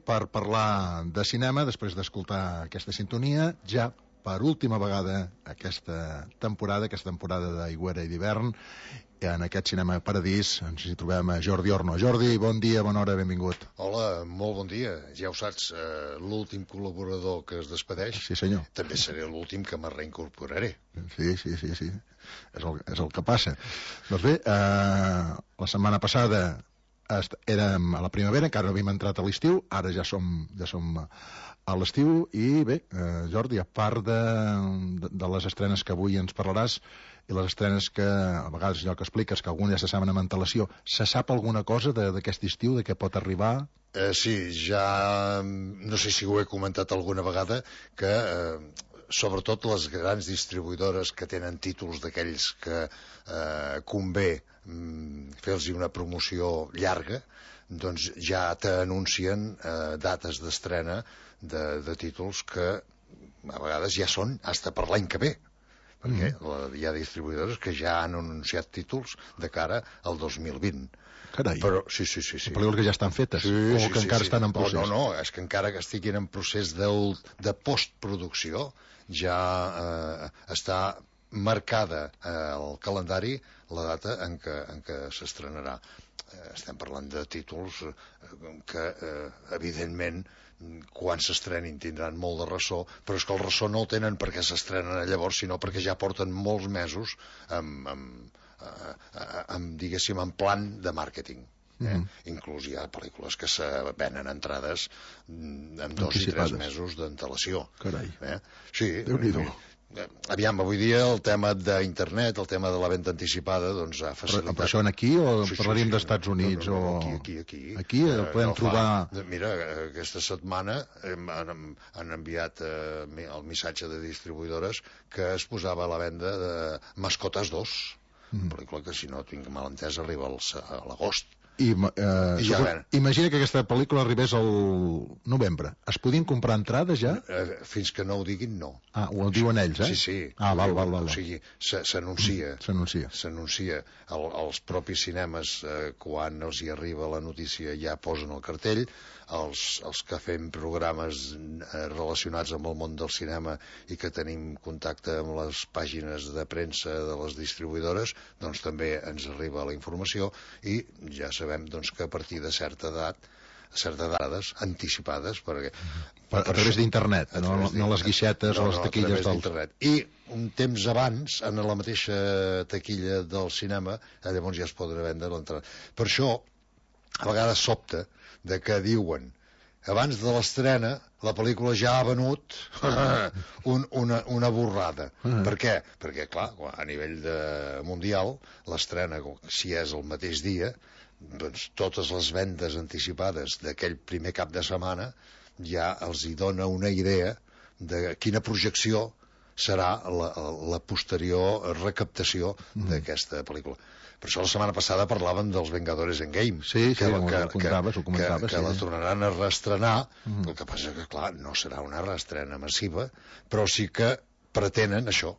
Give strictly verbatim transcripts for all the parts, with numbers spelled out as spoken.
per parlar de cinema, després d'escoltar aquesta sintonia, ja per última vegada aquesta temporada, aquesta temporada d'aigüera i d'hivern, en aquest Cinema Paradís ens hi trobem a Jordi Orno. Jordi, bon dia, bona hora, benvingut. Hola, molt bon dia. Ja ho saps, eh, l'últim col·laborador que es despedeix. Sí, senyor. També seré l'últim que me reincorporaré. Sí, sí, sí, sí. És el, és el que passa. Doncs bé, eh, la setmana passada érem a la primavera, encara no havíem entrat a l'estiu, ara ja som, ja som a l'estiu, i bé, eh, Jordi, a part de, de, de les estrenes que avui ens parlaràs, i les estrenes que a vegades allò que expliques, que algunes ja se saben amb antelació, se sap alguna cosa d'aquest estiu, de què pot arribar? Eh, sí, ja no sé si ho he comentat alguna vegada, que eh, sobretot les grans distribuïdores que tenen títols d'aquells que eh, convé mm, fer-los una promoció llarga, doncs ja t'anuncien eh, dates d'estrena de, de títols que a vegades ja són hasta per l'any que ve, perquè mm. la, hi ha distribuïdores que ja han anunciat títols de cara al dos mil vint. Carai, però, sí, sí, sí, sí. pel·lícules que ja estan fetes, sí, o sí, que sí, encara sí. estan en procés. No, no, no, és que encara que estiguin en procés de, de postproducció ja eh, està marcada eh, al calendari la data en què, en què s'estrenarà. Eh, estem parlant de títols eh, que eh, evidentment quan s'estrenin tindran molt de ressò, però és que el ressò no el tenen perquè s'estrenen llavors, sinó perquè ja porten molts mesos amb, amb, amb diguéssim, en plan de màrqueting. Eh? Mm-hmm. Inclús hi ha pel·lícules que se venen entrades amb dos i tres mesos d'antelació. Carai, eh? Sí, Déu-n'hi-do. Aviam, avui dia el tema d'internet, el tema de la venda anticipada, doncs ha facilitat... Però això en aquí o sí, parlaríem sí, sí. d'Estats Units? No, no, no, o... aquí, aquí, aquí. Aquí eh, podem no trobar... Fa... Mira, aquesta setmana hem, han, han enviat eh, el missatge de distribuïdores que es posava a la venda de Mascotes dos, mm. pel·lícula que, si no tinc mal entès, arriba al, a l'agost. I, eh, I ja, supos... Imagina que aquesta pel·lícula arribés al novembre. Es podien comprar entrades ja? Eh, fins que no ho diguin, no. Ah, ho diuen ells, eh? Sí, sí. Ah, val, val, val. O sigui, s'anuncia. S'anuncia. S'anuncia. El, els propis cinemes, eh, quan els hi arriba la notícia, ja posen el cartell. Els, els que fem programes eh, relacionats amb el món del cinema i que tenim contacte amb les pàgines de premsa de les distribuïdores, doncs també ens arriba la informació i ja sabem doncs, que a partir de certa edat certes dades anticipades perquè, per, a través d'internet, no, no les guixetes no, o les taquilles no, del... I un temps abans, en la mateixa taquilla del cinema, llavors ja es podrà vendre l'entrada. Per això a vegades sobta de que diuen abans de l'estrena la pel·lícula ja ha venut un, una, una borrada. Uh-huh. Per què? Perquè, clar, a nivell de mundial, l'estrena, si és el mateix dia, doncs totes les vendes anticipades d'aquell primer cap de setmana ja els hi dona una idea de quina projecció serà la, la posterior recaptació mm. d'aquesta pel·lícula. Per això la setmana passada parlàvem dels Vengadores Endgame, sí, sí, que, ho, que, ho comentaves, ho comentaves, que, que sí. la tornaran a reestrenar, mm. el que passa que, clar, no serà una reestrena massiva, però sí que pretenen això,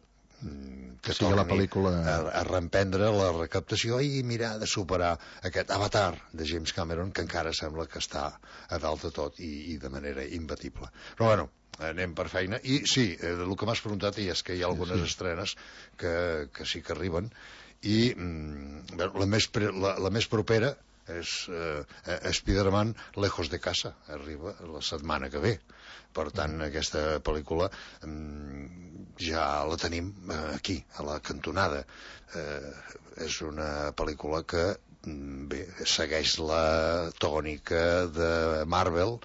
que sí, la pel·lícula... a, a reemprendre la recaptació i mirar de superar aquest Avatar de James Cameron, que encara sembla que està a dalt de tot i, i de manera imbatible. Però bueno, anem per feina. I sí, el que m'has preguntat és que hi ha algunes sí, sí. estrenes que, que sí que arriben i mm, la, més pre, la, la més propera és eh, Spider-Man Lejos de Casa, arriba la setmana que ve. Per tant, aquesta pel·lícula mm, ja la tenim eh, aquí, a la cantonada. Eh, és una pel·lícula que mm, bé, segueix la tònica de Marvel,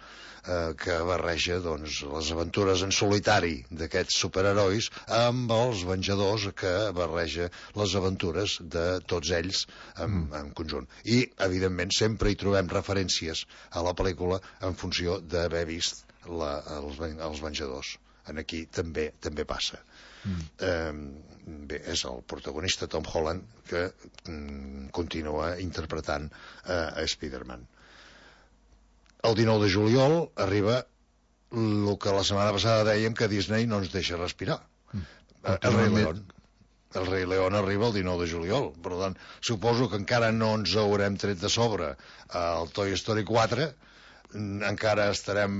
eh, que barreja doncs, les aventures en solitari d'aquests superherois amb els Venjadors, que barreja les aventures de tots ells en, mm. en conjunt. I, evidentment, sempre hi trobem referències a la pel·lícula en funció d'haver vist la, els, els Venjadors. En aquí també també passa. Mm. Eh, bé, és el protagonista Tom Holland que mm, continua interpretant eh, a Spider-Man. El dinou de juliol arriba el que la setmana passada dèiem que Disney no ens deixa respirar. Mm. El Rei León. El Rei León arriba el dinou de juliol. Per tant, suposo que encara no ens haurem tret de sobre el Toy Story quatre, encara estarem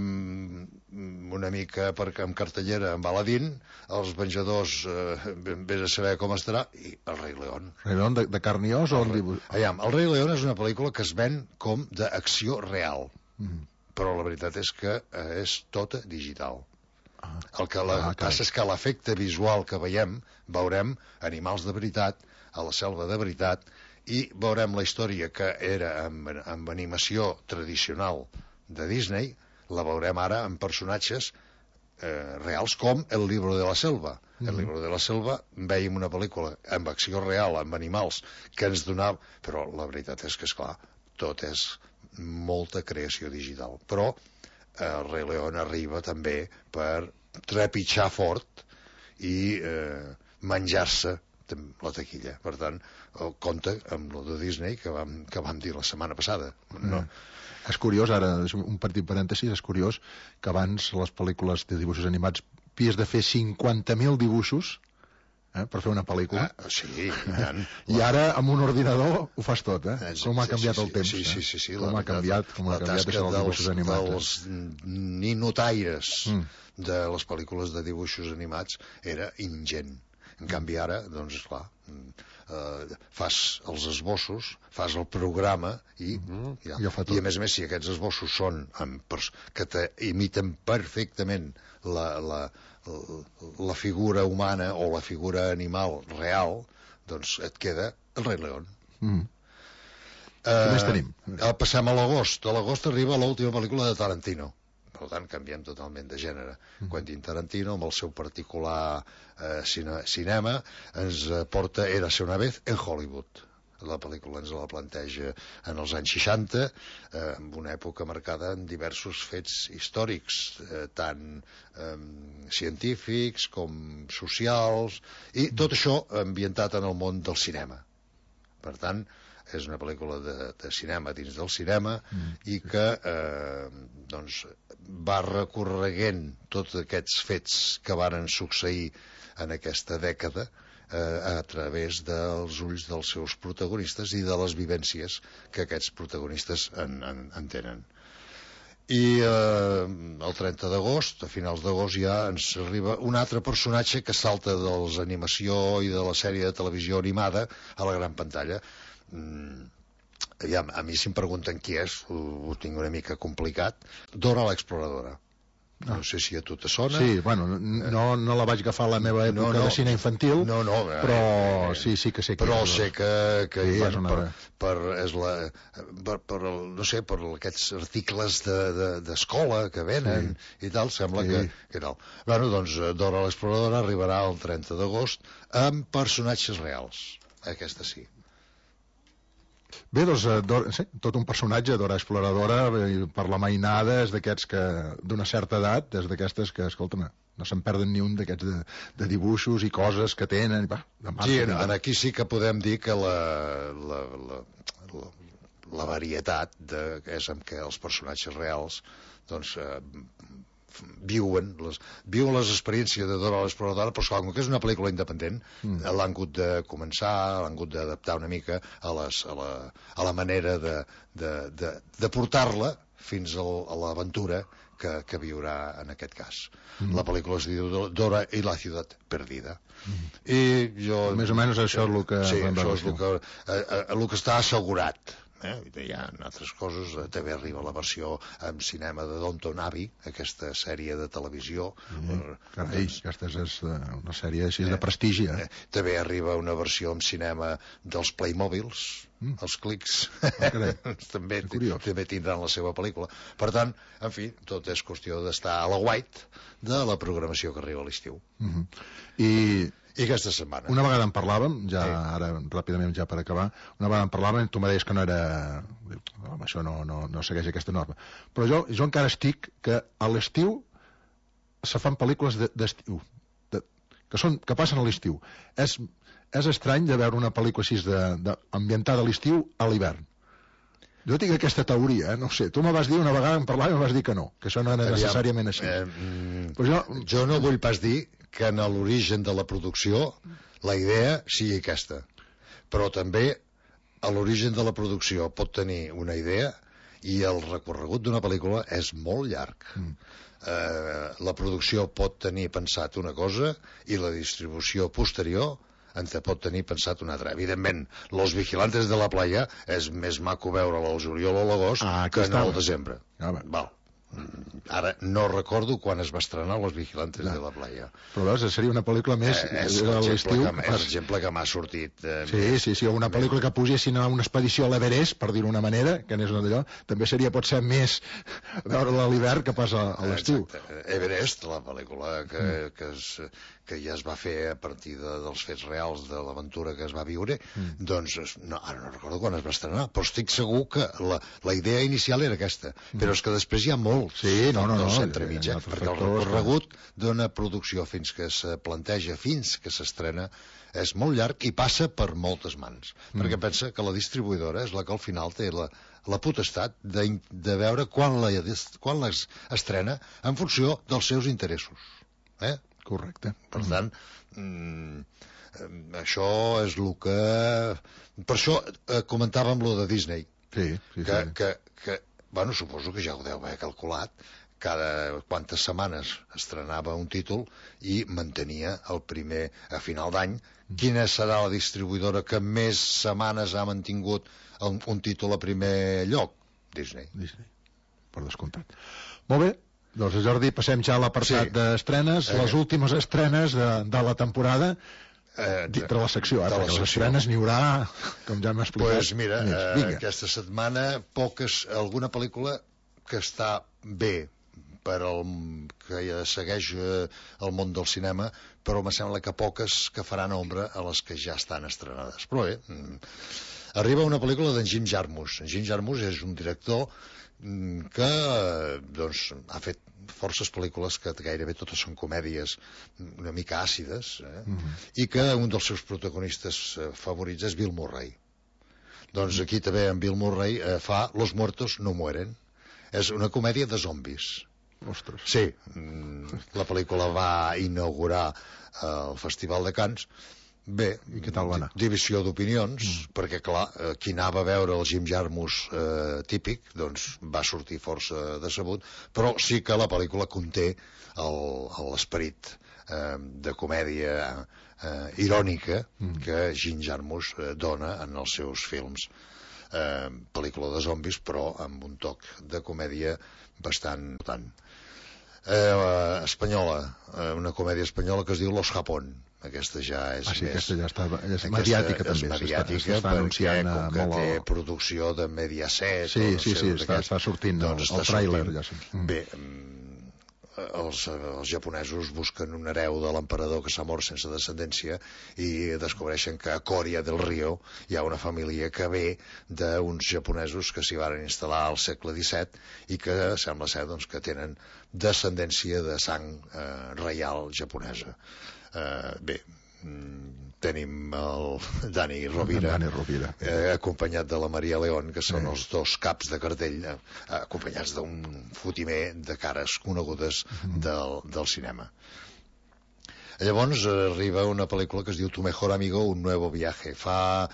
una mica perquè amb cartellera amb Aladdin, Els Venjadors eh, vés a saber com estarà, i El Rei León. Rei León de, de carn i os o el dibuix? Aviam, El Rei León és una pel·lícula que es ven com d'acció real, mm. però la veritat és que eh, és tota digital. Ah. El que la, ah, passa és que l'efecte visual que veiem, veurem animals de veritat, a la selva de veritat, i veurem la història que era amb, amb animació tradicional de Disney, la veurem ara amb personatges eh, reals com El Libro de la Selva. Mm-hmm. El Libro de la Selva veiem una pel·lícula amb acció real, amb animals que ens donava, però la veritat és que, esclar, tot és molta creació digital, però eh, el Rei León arriba també per trepitjar fort i eh, menjar-se la taquilla. Per tant, compte amb lo de Disney que vam, que vam dir la setmana passada, no? Mm. És curiós, ara, un petit parèntesis, és curiós que abans les pel·lícules de dibuixos animats havies de fer cinquanta mil dibuixos eh, per fer una pel·lícula. Ah, sí, i, I ara amb un ordinador ho fas tot, eh? Com ha canviat sí, sí, el temps. Sí, sí, sí, sí, com ha canviat, com ha canviat això dels dibuixos animats. Els ninotaires mm. de les pel·lícules de dibuixos animats era ingent. En canvi ara, doncs, esclar, eh, fas els esbossos, fas el programa i, mm, ja. Ja i a més a més, si aquests esbossos són amb pers que te imiten perfectament la, la, la figura humana o la figura animal real, doncs et queda el Rei León. Mm. Eh, Què més tenim? Passem a l'agost. A l'agost arriba l'última pel·lícula de Tarantino. Per tant, canviem totalment de gènere. Mm. Quentin Tarantino, amb el seu particular eh, cine cinema, ens porta Érase una vez en Hollywood. La pel·lícula ens la planteja en els anys seixanta, eh, en una època marcada en diversos fets històrics, eh, tant eh, científics com socials, i tot això ambientat en el món del cinema. Per tant, és una pel·lícula de, de cinema dins del cinema mm. i que eh, doncs, va recorreguent tots aquests fets que varen succeir en aquesta dècada eh, a través dels ulls dels seus protagonistes i de les vivències que aquests protagonistes en, en, en tenen. I eh, el trenta d'agost, a finals d'agost, ja ens arriba un altre personatge que salta de l'animació i de la sèrie de televisió animada a la gran pantalla. Mm, aviam, a mi si em pregunten qui és, ho, ho tinc una mica complicat. Dora l'Exploradora. No sé si a tu te sona. Sí, bueno, no, no la vaig agafar a la meva època no, no, de cine infantil, no, no, però eh, sí, sí que sé que però és. sé que, que sí, bueno, una... per, per, és la, per, per, no sé, per aquests articles d'escola de, de, que venen sí. i tal, sembla sí. que, que tal. Bueno, doncs Dora l'Exploradora arribarà el trenta d'agost amb personatges reals. Aquesta sí. Bé, doncs, Dora, sí, tot un personatge, Dora Exploradora, per la mainada, és d'aquests que, d'una certa edat, és d'aquestes que, escolta'm, no se'n perden ni un d'aquests de, de dibuixos i coses que tenen. Va, de sí, en, en aquí sí que podem dir que la, la, la, la, la varietat de, és amb què els personatges reals doncs, eh, viuen les, viuen les experiències de Dora l'Exploradora, però com que és una pel·lícula independent, mm. l'han hagut de començar, l'han hagut d'adaptar una mica a, les, a, la, a la manera de, de, de, de portar-la fins al, a l'aventura que, que viurà en aquest cas. Mm. La pel·lícula es diu Dora i la ciutat perdida. Mm. I jo... Més o menys això és el que... Sí, això és el que, eh, el que està assegurat. Eh? Hi ha altres coses, també arriba la versió en cinema de Downton Abbey, aquesta sèrie de televisió. Mm. Carai, aquesta és una sèrie així eh, de prestigi. Eh? Eh, també arriba una versió en cinema dels Playmobils, mm. els clics, oh, també, també tindran la seva pel·lícula. Per tant, en fi, tot és qüestió d'estar a la white de la programació que arriba a l'estiu. Mm-hmm. I... I aquesta setmana. Una vegada en parlàvem, ja sí. ara ràpidament ja per acabar, una vegada en parlàvem, tu me deies que no era... Home, això no, no, no segueix aquesta norma. Però jo, jo encara estic que a l'estiu se fan pel·lícules d'estiu, de, que, són, que passen a l'estiu. És, és estrany de veure una pel·lícula així de, de, ambientada a l'estiu a l'hivern. Jo tinc aquesta teoria, eh? No sé. Tu me vas dir una vegada en parlar i me vas dir que no, que això no era Aviam, necessàriament així. Eh, mm, Però jo... jo no vull pas dir que en l'origen de la producció la idea sigui aquesta. Però també a l'origen de la producció pot tenir una idea I el recorregut d'una pel·lícula és molt llarg. Mm. Eh, la producció pot tenir pensat una cosa i la distribució posterior en te pot tenir pensat una altra. Evidentment, Los Vigilantes de la Playa és més maco veure-la al juliol o l'agost ah, que no al estava. desembre. Ah, Val. Ara no recordo quan es va estrenar Los Vigilantes no. de la Playa. Però veus, seria una pel·lícula més eh, és, l'estiu. que, és l'exemple que m'ha sortit eh, sí, més, sí, sí, una pel·lícula més... que pugessin a una expedició a l'Everest, per dir-ho d'una manera, que n'és una d'allò, també seria potser més veure-la a l'hivern que pas a, a l'estiu. Everest, la pel·lícula que, mm. que, es, que ja es va fer a partir de, dels fets reals de l'aventura que es va viure, mm. doncs no, ara no recordo quan es va estrenar, però estic segur que la, la idea inicial era aquesta, mm. però és que després hi ha molt sí, no, no, no, entremig, eh? perquè el recorregut d'una producció fins que se planteja, fins que s'estrena, és molt llarg i passa per moltes mans, mm. perquè pensa que la distribuïdora és la que al final té la, la potestat de, de veure quan la, quan les estrena en funció dels seus interessos. Eh? Correcte. Per tant, mm, això és el que... Per això eh, comentàvem lo de Disney, sí, sí, que, sí. que, que, bueno, suposo que ja ho deu haver calculat, cada quantes setmanes estrenava un títol i mantenia el primer a final d'any. Quina serà la distribuïdora que més setmanes ha mantingut un, un títol a primer lloc? Disney. Disney, per descomptat. Molt bé, doncs Jordi, passem ja a l'apartat sí. d'estrenes, eh. les últimes estrenes de, de la temporada. Eh, dintre la secció, eh, perquè les estrenes n'hi haurà, com ja m'ha explicat. Pues mira, eh, aquesta setmana poques, alguna pel·lícula que està bé per al que ja segueix eh, el món del cinema, però me sembla que poques que faran ombra a les que ja estan estrenades. Però bé, mm, arriba una pel·lícula d'en Jim Jarmusch. En Jim Jarmusch és un director mm, que doncs, ha fet forces pel·lícules que gairebé totes són comèdies una mica àcides, eh? Mm-hmm. i que un dels seus protagonistes eh, favorits és Bill Murray. Doncs aquí també en Bill Murray eh, fa Los muertos no mueren. És una comèdia de zombis. Ostres. Sí, la pel·lícula va inaugurar el Festival de Cannes. Bé, i què tal va anar? Divisió d'opinions, mm. perquè clar, qui anava a veure el Jim Jarmusch eh, típic, doncs va sortir força decebut, però sí que la pel·lícula conté l'esperit eh, de comèdia eh, irònica mm. que Jim Jarmusch eh, dona en els seus films. Eh, pel·lícula de zombis, però amb un toc de comèdia bastant important. Eh, espanyola, eh, una comèdia espanyola que es diu Los Japón. Aquesta ja és ah, sí, més... aquesta ja està, és mediàtica també. És mediàtica perquè com que té producció de Mediaset... Sí, sí, sí, està, està sortint doncs el, el tràiler. Ja sí. Bé, els, els japonesos busquen un hereu de l'emperador que s'ha mort sense descendència i descobreixen que a Coria del Rio hi ha una família que ve d'uns japonesos que s'hi van instal·lar al segle disset i que sembla ser doncs, que tenen descendència de sang eh, reial japonesa. Eh, bé, tenim el Dani Rovira, Dani Rovira. Eh, acompanyat de la Maria León, que són eh. els dos caps de cartell, eh, acompanyats d'un fotimer de cares conegudes del, del cinema. Llavors arriba una pel·lícula que es diu Tu mejor amigo, un nuevo viaje. Fa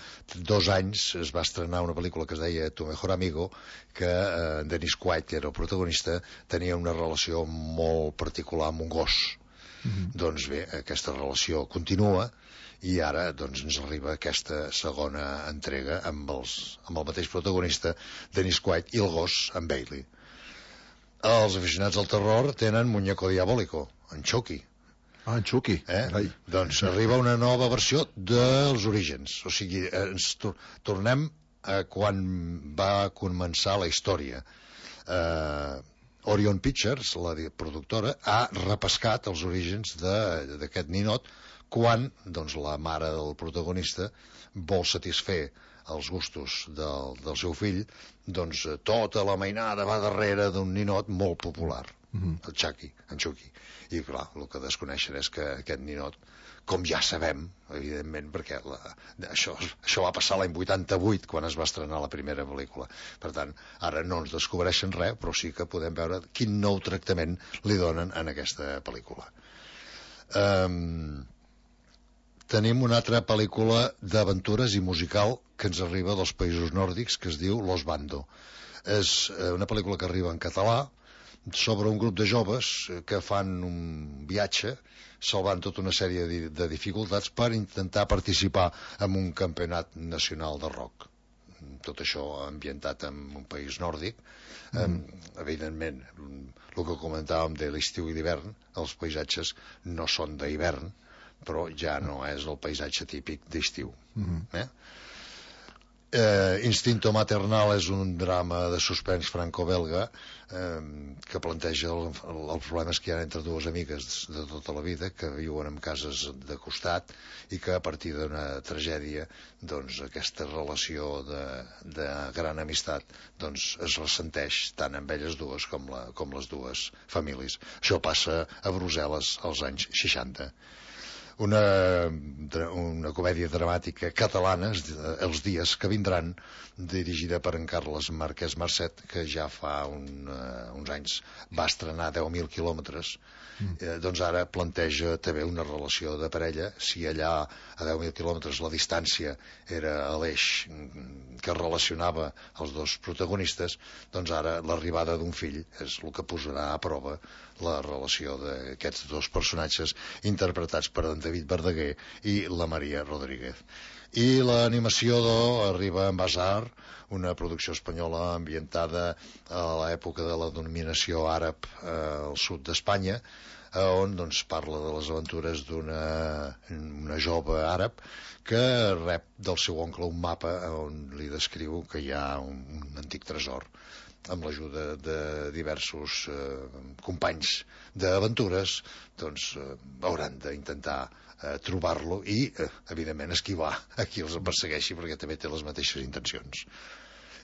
dos anys es va estrenar una pel·lícula que es deia Tu mejor amigo, que eh, Dennis Quaid, que era el protagonista, tenia una relació molt particular amb un gos. Mm-hmm. Doncs bé, aquesta relació continua i ara doncs, ens arriba aquesta segona entrega amb, els, amb el mateix protagonista, Dennis Quaid, i el gos, en Bailey. Els aficionats al terror tenen Muñeco Diabólico, en Chucky. Ah, en Chucky. Eh? Doncs arriba una nova versió dels orígens. O sigui, ens tor tornem a quan va començar la història. Eh... Orion Pictures, la productora, ha repescat els orígens d'aquest ninot quan doncs, la mare del protagonista vol satisfer els gustos del, del seu fill, doncs tota la mainada va darrere d'un ninot molt popular, mm-hmm. el Chucky, en Chucky. I clar, el que desconeixen és que aquest ninot, com ja sabem, evidentment, perquè la, això, això va passar l'any vuitanta-vuit, quan es va estrenar la primera pel·lícula. Per tant, ara no ens descobreixen res, però sí que podem veure quin nou tractament li donen en aquesta pel·lícula. Um, tenim una altra pel·lícula d'aventures i musical que ens arriba dels països nòrdics, que es diu Los Bando. És una pel·lícula que arriba en català sobre un grup de joves que fan un viatge salvant tota una sèrie de dificultats per intentar participar en un campionat nacional de rock. Tot això ambientat en un país nòrdic. Mm. Um, evidentment, el que comentàvem de l'estiu i l'hivern, els paisatges no són d'hivern, però ja no és el paisatge típic d'estiu. Mm-hmm. eh? Eh, Instinto Maternal és un drama de suspens franco-belga eh, que planteja el, el, els problemes que hi ha entre dues amigues de tota la vida que viuen en cases de costat i que a partir d'una tragèdia doncs aquesta relació de, de gran amistat doncs es ressenteix tant amb elles dues com, la, com les dues famílies. Això passa a Brussel·les als anys seixanta. Una, una comèdia dramàtica catalana, Els dies que vindran, dirigida per en Carles Marquès Marcet, que ja fa un, uh, uns anys va estrenar deu mil quilòmetres. Mm. Eh, doncs ara planteja també una relació de parella. Si allà a deu mil quilòmetres la distància era l'eix que relacionava els dos protagonistes, doncs ara l'arribada d'un fill és el que posarà a prova la relació d'aquests dos personatges interpretats per en David Verdaguer i la Maria Rodríguez. I l'animació arriba en Basar, una producció espanyola ambientada a l'època de la dominació àrab eh, al sud d'Espanya, on doncs, parla de les aventures d'una una jove àrab que rep del seu oncle un mapa on li descriu que hi ha un, un antic tresor. Amb l'ajuda de diversos eh, companys d'aventures, doncs eh, hauran d'intentar eh, trobar-lo i, eh, evidentment, esquivar a qui els persegueixi, perquè també té les mateixes intencions.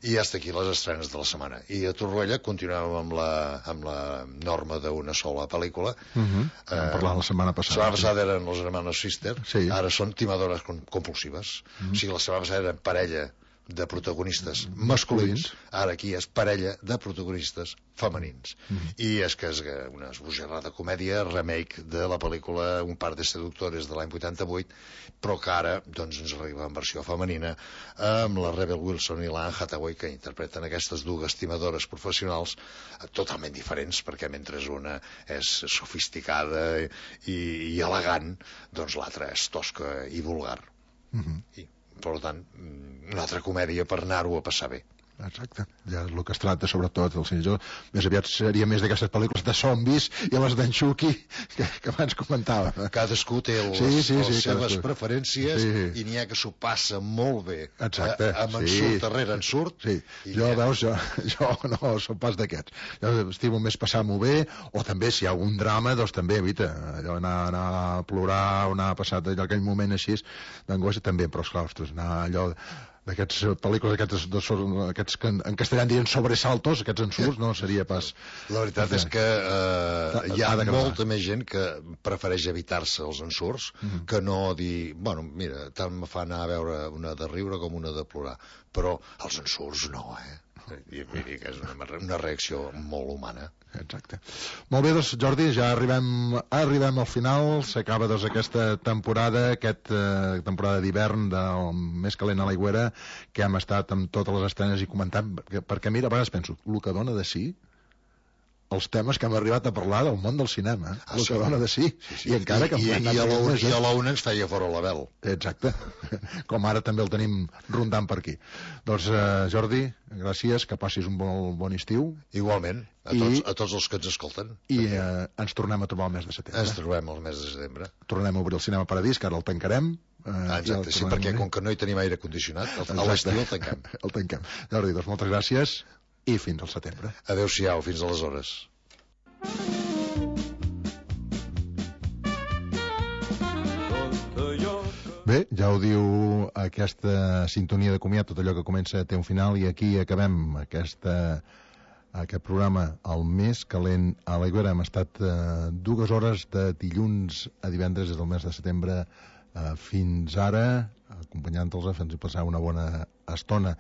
I hasta aquí les estrenes de la setmana. I a Torroella continuem amb la, amb la norma d'una sola pel·lícula. Uh -huh. eh, Vam parlar la setmana passada. La setmana passada eren Los Hermanos Sister, sí. Ara són timadores compulsives. Uh -huh. O sigui, la setmana passada eren parella de protagonistes masculins, ara aquí és parella de protagonistes femenins. Mm-hmm. I és que és una esbojarrada comèdia, remake de la pel·lícula Un par de seductores de l'any vuitanta-vuit, però que ara doncs, ens arriba en versió femenina amb la Rebel Wilson i l'Anne Hathaway, que interpreten aquestes dues timadores professionals totalment diferents, perquè mentre una és sofisticada i, i elegant, doncs l'altra és tosca i vulgar. Mm-hmm. I per tant, una altra comèdia per anar-ho a passar bé. Exacte, ja és el que es tracta sobretot el senyor. Més aviat seria més d'aquestes pel·lícules de zombis i les d'en Chucky que, que abans comentàvem. Cadascú té les, sí, sí, les sí, seves cadascú. preferències sí. I n'hi ha que s'ho passa molt bé. Exacte, eh, amb en sí. surt darrere en surt. Sí. Jo, veus, jo, jo no soc pas d'aquests. Jo estimo més passar-m'ho bé, o també si hi ha algun drama, doncs també, evita, allò anar, anar a plorar o anar a passar allò, aquell moment així d'angoixa també, però esclar, ostres, anar allò d'aquests pel·lícules, aquests, dos, aquests que en castellà en diuen sobresaltos, aquests ensurts, no seria pas... La veritat és que eh, hi ha molta més gent que prefereix evitar-se els ensurts mm-hmm. que no dir, bueno, mira, tant me fa anar a veure una de riure com una de plorar, però els ensurts no, eh? I miri que és una, una reacció molt humana. Exacte. Molt bé, doncs, Jordi, ja arribem, arribem al final, s'acaba doncs, aquesta temporada, aquesta eh, temporada d'hivern del Més calent a l'aigüera, que hem estat amb totes les estrenes i comentant, perquè, perquè mira, a vegades penso, el que dona de sí, els temes que hem arribat a parlar del món del cinema, ah, el sí. que dona de sí, sí, sí. I encara que... I, i, i, a la, i a la una ens feia fora la veu. Exacte, com ara també el tenim rondant per aquí. Doncs, eh, Jordi, gràcies, que passis un bon, bon estiu. Igualment, a, I, tots, a tots els que ens escolten. I eh, ens tornem a trobar el mes de setembre. Ens trobem el mes de setembre. Tornem a obrir el Cinema Paradís, que ara el tancarem. Eh, ah, exacte, sí, perquè com que no hi tenim aire condicionat, el, a l'estiu el tanquem. El tanquem. Jordi, doncs moltes gràcies. I fins al setembre. Adéu-siau, fins aleshores. Bé, ja ho diu aquesta sintonia de comiat, tot allò que comença té un final, i aquí acabem aquesta, aquest programa, el Més calent a l'aigüera. Hem estat eh, dues hores de dilluns a divendres des del mes de setembre eh, fins ara, acompanyant-los, fent-los passar una bona estona.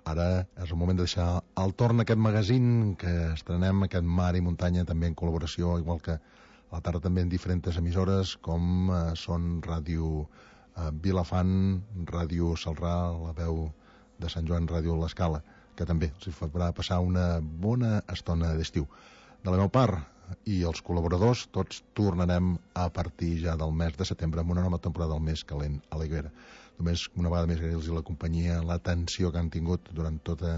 Ara és el moment de deixar al torn aquest magazín que estrenem, aquest Mar i Muntanya, també en col·laboració, igual que a la tarda també en diferents emissores, com eh, són Ràdio a Vilafant, Ràdio Salrà, la veu de Sant Joan, Ràdio L'Escala, que també els farà passar una bona estona d'estiu. De la meva part, i els col·laboradors, tots tornarem a partir ja del mes de setembre amb una nova temporada del Més Calent a la Higuera. Només una vegada més agrair-los la companyia, l'atenció que han tingut durant tota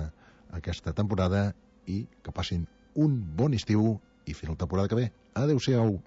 aquesta temporada i que passin un bon estiu i fins la temporada que ve. Adéu-siau.